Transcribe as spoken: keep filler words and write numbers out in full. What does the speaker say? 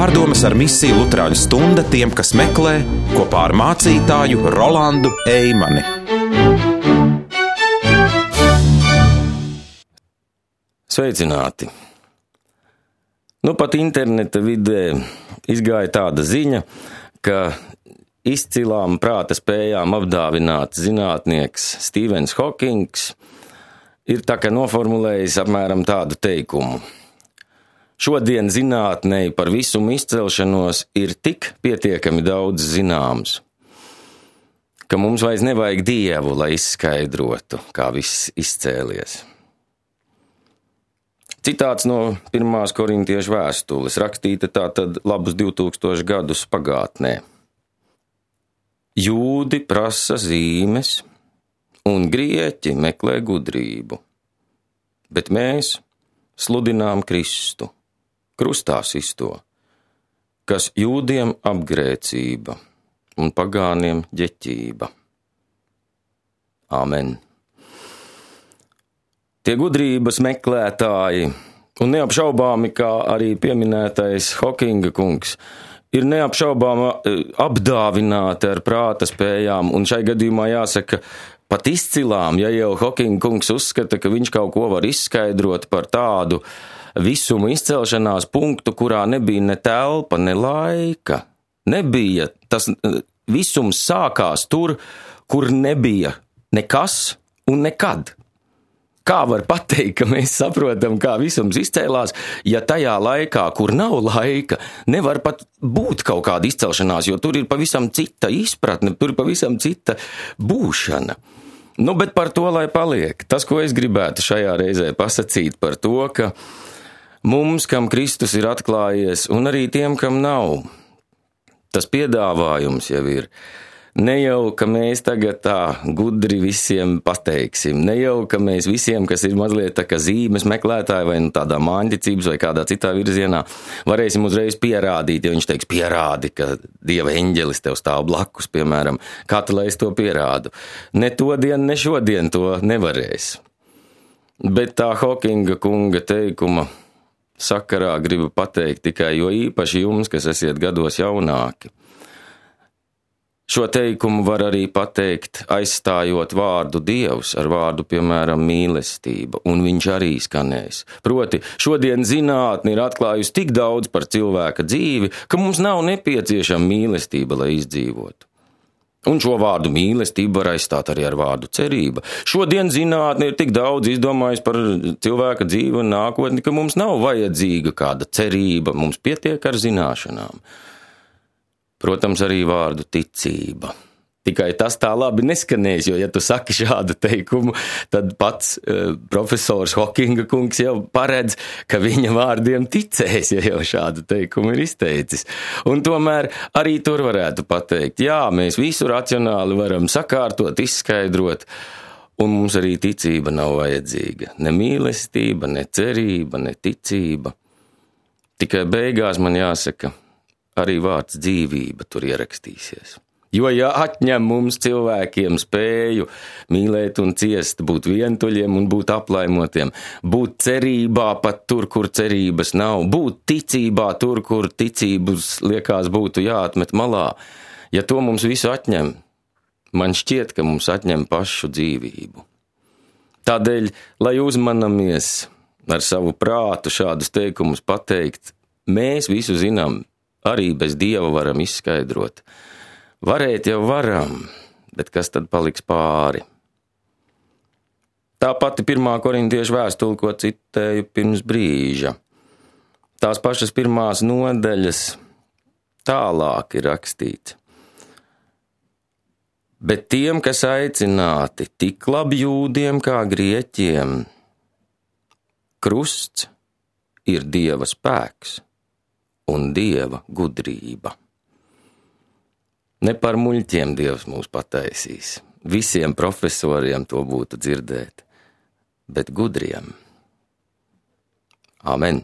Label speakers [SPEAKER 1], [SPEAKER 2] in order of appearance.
[SPEAKER 1] Pārdomas ar misiju Luterāņu stunda tiem, kas meklē, kopā ar mācītāju Rolandu Eimani.
[SPEAKER 2] Sveicināti! Nu pat interneta vidē izgāja tāda ziņa, ka izcilām prāta spējām apdāvināts zinātnieks Stīvens Hokings ir tā kā noformulējis apmēram tādu teikumu. Šodien zinātnei par visumu izcelšanos ir tik pietiekami daudz zināms, ka mums vairs nevajag Dievu, lai izskaidrotu, kā viss izcēlies. Citāts no pirmās korintiešu vēstules, rakstīta tātad labus divtūkstoši gadus pagātnē. Jūdi prasa zīmes, un grieķi meklē gudrību, bet mēs sludinām Kristu, krustā sisto, kas jūdiem apgrēcība un pagāniem ģeķība. Āmen. Tie gudrības meklētāji, un neapšaubāmi, kā arī pieminētais Hokinga kungs, ir neapšaubāmi apdāvināti ar prāta spējām, un šai gadījumā jāsaka pat izcilām, ja jau Hokinga kungs uzskata, ka viņš kaut ko var izskaidrot par tādu visumu izcelšanās punktu, kurā nebija ne telpa, ne laika. Nebija, tas visums sākās tur, kur nebija nekas un nekad. Kā var pateikt, ka mēs saprotam, kā visums izcēlās, ja tajā laikā, kur nav laika, nevar pat būt kaut kāda izcelšanās, jo tur ir pavisam cita izpratne, tur ir pavisam cita būšana. Nu, bet par to, lai paliek. Tas, ko es gribētu šajā reizē pasakīt par to, ka mums, kam Kristus ir atklājies, un arī tiem, kam nav, tas piedāvājums jau ir. Ne jau, ka mēs tagad tā gudri visiem pateiksim, ne jau, ka mēs visiem, kas ir mazliet tā kā zīmes meklētāji vai nu tādā māņticības vai kādā citā virzienā, varēsim uzreiz pierādīt, ja viņš teiks pierādi, ka Dieva eņģelis tev stāv blakus, piemēram, kā tu lai es to pierādu. Ne to dienu, ne šodien to nevarēs. Bet tā Hokinga kunga teikuma sakarā gribu pateikt tikai, jo īpaši jums, kas esiet gados jaunāki. Šo teikumu var arī pateikt, aizstājot vārdu Dievs ar vārdu, piemēram, mīlestība, un viņš arī skanēs. Proti, šodien zinātne ir atklājusi tik daudz par cilvēka dzīvi, ka mums nav nepieciešama mīlestība, lai izdzīvotu. Un šo vārdu mīlestību var aizstāt arī ar vārdu cerība. Šodien zinātne ir tik daudz izdomājusi par cilvēka dzīvi un nākotni, ka mums nav vajadzīga kāda cerība, mums pietiek ar zināšanām. Protams, arī vārdu ticība. Tikai tas tā labi neskanēs, jo, ja tu saki šādu teikumu, tad pats uh, profesors Hokinga kungs jau paredz, ka viņa vārdiem ticēs, ja jau šādu teikumu ir izteicis. Un tomēr arī tur varētu pateikt, jā, mēs visu racionāli varam sakārtot, izskaidrot, un mums arī ticība nav vajadzīga. Ne mīlestība, ne cerība, ne ticība. Tikai beigās man jāsaka, arī vārds dzīvība tur ierakstīsies. Jo, ja atņem mums cilvēkiem spēju mīlēt un ciest, būt vientuļiem un būt aplaimotiem, būt cerībā pat tur, kur cerības nav, būt ticībā tur, kur ticības liekas būtu jāatmet malā, ja to mums visu atņem, man šķiet, ka mums atņem pašu dzīvību. Tādēļ, lai uzmanamies ar savu prātu šādus teikumus pateikt, mēs visu zinām, arī bez Dieva varam izskaidrot. Varēt jau varam, bet kas tad paliks pāri? Tā pati pirmā korintiešu vēstule, ko citēju pirms brīža. Tās pašas pirmās nodaļas tālāk ir rakstīts. Bet tiem, kas aicināti tik labi jūdiem kā grieķiem, krusts ir Dieva spēks un Dieva gudrība. Ne par muļķiem Dievs mūs pataisīs, visiem profesoriem to būtu dzirdēt, bet gudriem. Amen.